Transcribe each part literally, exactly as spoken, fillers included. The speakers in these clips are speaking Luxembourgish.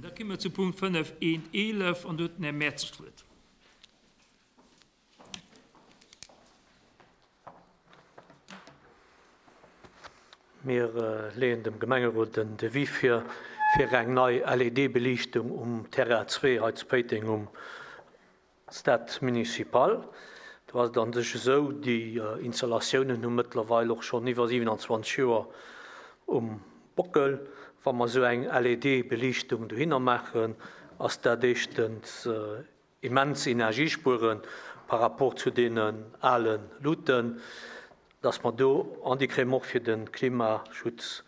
Da komme mer zu Punkt fënnef eent eelef an do huet den Här Mertzig d'Wuert. Mir leeën dem Gemengerot den Devis vir, fir eng nei L E D-Beliichtung um Terrain zwee hei zu Péiteng um Stade Municipal. Do ass et an sech esou, déi Installatiounen hu mëttlerweil och schonn iwwer siewenundzwanzeg Joer um Bockel. Wa mer esou eng L E D-Beliichtung dohinner maachen, ass dat éischtens immens Energiespueren par rapport zu deenen ale Luten, dass mer do an déi kréien och fir de Klimaschutz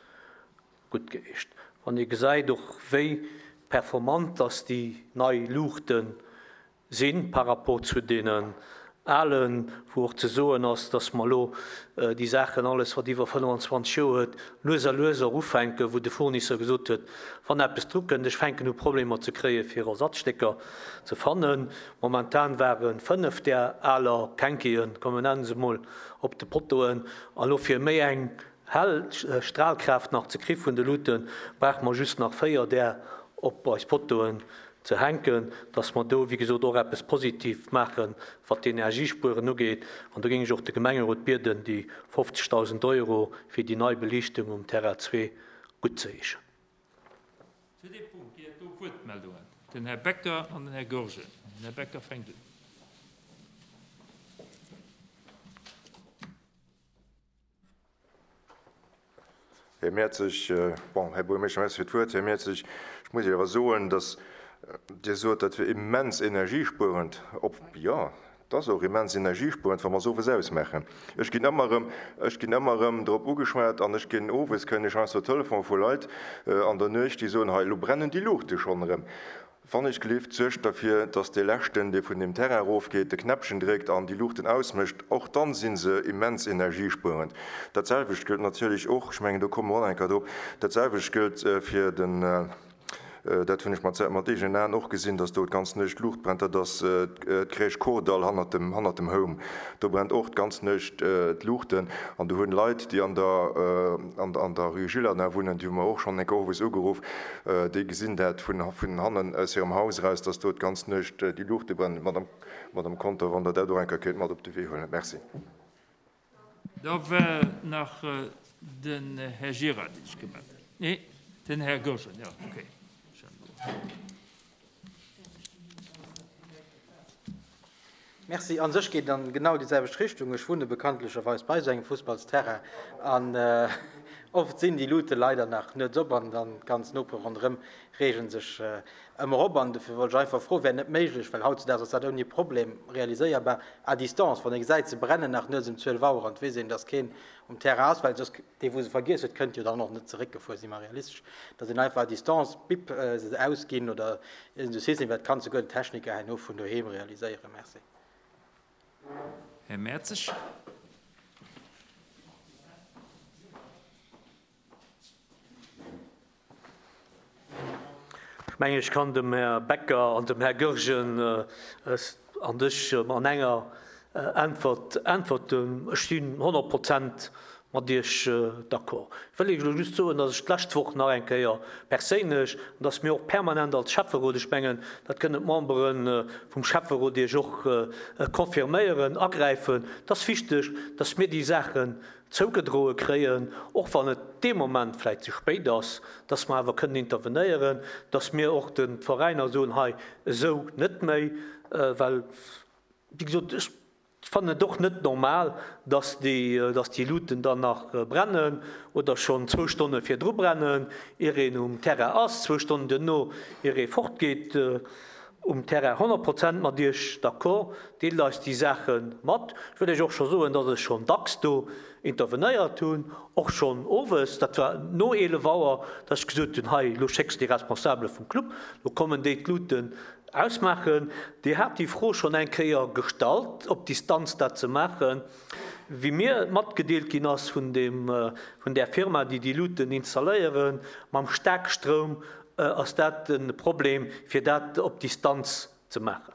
gutt geecht. Wann ihr gesäit och wéi performant dass déi nei Luuchten sinn par rapport zu deenen alen, wou och ze soen ass, dass mer lo, äh, déi Saachen alles, wat iwwer fënnfundzwanzeg Joer huet, lues a lues och ufänken, wou de Fournisseur gesot huet, wann eppes dru kënnt, ech fänken u Problemer ze kréien, fir Ersatzstécker ze fannen. Momentan waren fënnef der aler Kenkien, komm, wir nennen se mol, op de Pottoen, an lo fir méi eng hell Strahlkraft nach ze kri vun de Luten, braucht man just nach véier der op eis Pottoen ze hänken, dass man do, wie gesagt, och eppes positiv machen, wat die Energiespuren ugeht. An do ging ech och de Gemengerot bieden, déi fofzegtausend Euro fir die nei Belichtung um Terrain zwee gutt ze heeschen. Zu dem Punkt gi et do Wuertmeldungen. Den Herr Becker an den Herr Goergen. Den Herr Becker fänkt un. Här Mertzig, bon, Här Buergermeeschter, merci fir d'Wuert. Här Mertzig, ich muss awer soen, dass Dir sot, dat wir immens energiespuerend, ob, ja, das auch immens energiespuerend, wann wir sowas ausmachen. Ich ginn ëmmer erëm, ich ginn ëmmer erëm drop ugeschwat an ich ginn owes, kënn ich heiansdo Telefon vu Leit, äh, an der Nuecht, déi soen, hei, lo brennen déi Luuchte schon erëm. Wann ich gelift, suergt dafür, dass der Leschten, der von dem Terrain raufgeht, de Knäppchen drückt an die Luchten ausmischt, auch dann sind sie immens energiesparend. Das selbe gilt natürlich auch, ich meine, da kommen wir auch noch drauf, das selbe gilt, äh, für den, äh, äh, dat hunn ech mat, mat eegenen Aen och gesinn, dass do ganz Nuecht d'Luucht brennt, dat ass, äh, d'Crèche Kordall hannert dem, hannert dem Home. Do brennt och ganz Nuecht, äh, d'Luuchten an du hunn Leit, déi an der, äh, an, an der Rue Gillardin wunnen, déi hu mer och schon eng Owes ugeruff, äh, déi gesinn dat vun, vun hannen aus hirem Haus raus, dass do ganz Nuecht, äh, déi Luuchte brennen. Madame, Madame Conter, wann der dat och eng Kéier kéint mat op de Wee huelen. Merci. Da war nach, äh, den Herr Girard, den ich gemeldet habe. Nee, den Herr Goergen, ja, okay. Merci. An sich geht dann genau dieselbe Richtung. Ich wohne bekanntlicherweise bei so einem Fußballsterrain. An, äh, oft sind die Leute leider nach nicht so, und dann ganz Nope rundherum regen sich, äh, immer op. Und dafür wollte ich einfach froh, wäre nicht möglich, weil heutzutage ist das ohne Problem realisierbar. À distance, von der Seite zu brennen nach nur um zwölf Uhr und wir sehen, dass kein um Terrain ist, weil das, die, wo sie vergisst, könnt ihr dann noch nicht zurückgefahren, sind wir realistisch. Dass sie einfach à distance bip, äh, sie ausgehen oder in der Saison, das kannst du gut Techniker nur von daheim realisieren. Merci. Herr Mertzig. Ich meine, ich kann dem Herr Becker und dem Herr Goergen, äh, an dich, äh, an enger, äh, Antwort antworten. Ich bin hundert Prozent mat dir, äh, d'accord. Ich will Iech just soen, dass ich d'lescht Woch nach eng Kéier perséinlech und dass mir och permanent als Schäfferot, ich mengen, dat kënnen d'Memberen, äh, vum Schäfferot Iech och, äh, confirméieren, agräifen. Das ist wichtig, dass mir die Sachen zougedroe kréien, och wann et dee Moment vielleicht zu spät ass, dass wir awer kënnen intervenéieren, dass mir och den Veräiner soen, hei, esou net méi, äh, well, wie gesagt, ich fand es doch nicht normal, dass die, äh, dass die Luten dann nach, äh, brennen oder schon zwei Stunden vier drüber brennen, ihr een um Terrain ass, zwei Stunden duerno, ihr ee fortgeht, äh, um Terrain hundert Prozent mat Iech d'accord, deelt eis die Sachen mat. Ich will euch auch schon soen, dass ich schon dacks do intervenéiert hunn, och schon owes, dat war no elef Auer, dass ich gesot hunn, hei, lo schickst die Responsable vum Club, lo kommen déi d'Luten ausmachen. Die hat die Fro schon eng Kéier gestallt, op Distanz dat ze machen. Wie mir matgedeelt ginn ass vun dem, äh, vun der Firma, déi die Luten installéieren, mam Starkstroum, äh, ass dat en Problem, fir dat op Distanz ze machen.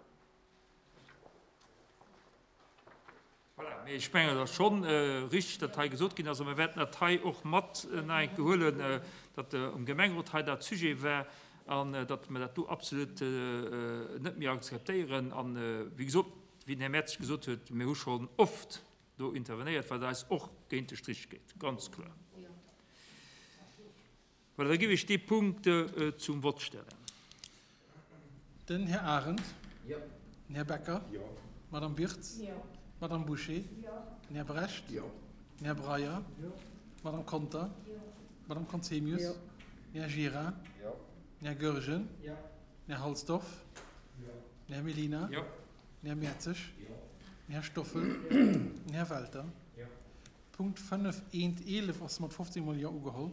Voilà, mee ich menge das schon, äh, richtig, dat hei gesot ginn ass, also wir werden dat hei och mat, äh, nach eng Kéier huelen, äh, dat, äh, um Gemengerot hei dat Sujet war, an datt mer dat do absolut net méi akzeptéieren. An wéi gesot, wéi den Här Mertz gesot huet, mir hu schonn oft do intervenéiert, wat eis och géint de Strich geet, ganz kloer. Voilà, da géif ech dee Punkt zum Vott stellen. Den Här Arendt. Jo. Den Här Becker. Jo. D'Madame Wirtz. Jo. D'Madame Bouché. Jo. Den Här Brecht. Jo. Den Här Breyer. Jo. D'Madame Conter. Jo. D'Madame Conzemius. Jo. Den Här Gira. Jo. Den Här Goergen. Jo. Den Här Halsdorf. Jo. Den Här Mellina. Jo. Den Här Mertzig. Jo. Den Här Stoffel. Jo. Den Här Welter. Jo. Punkt fënnef eent eelef ass mat fofzéng mol Jo ugeholl.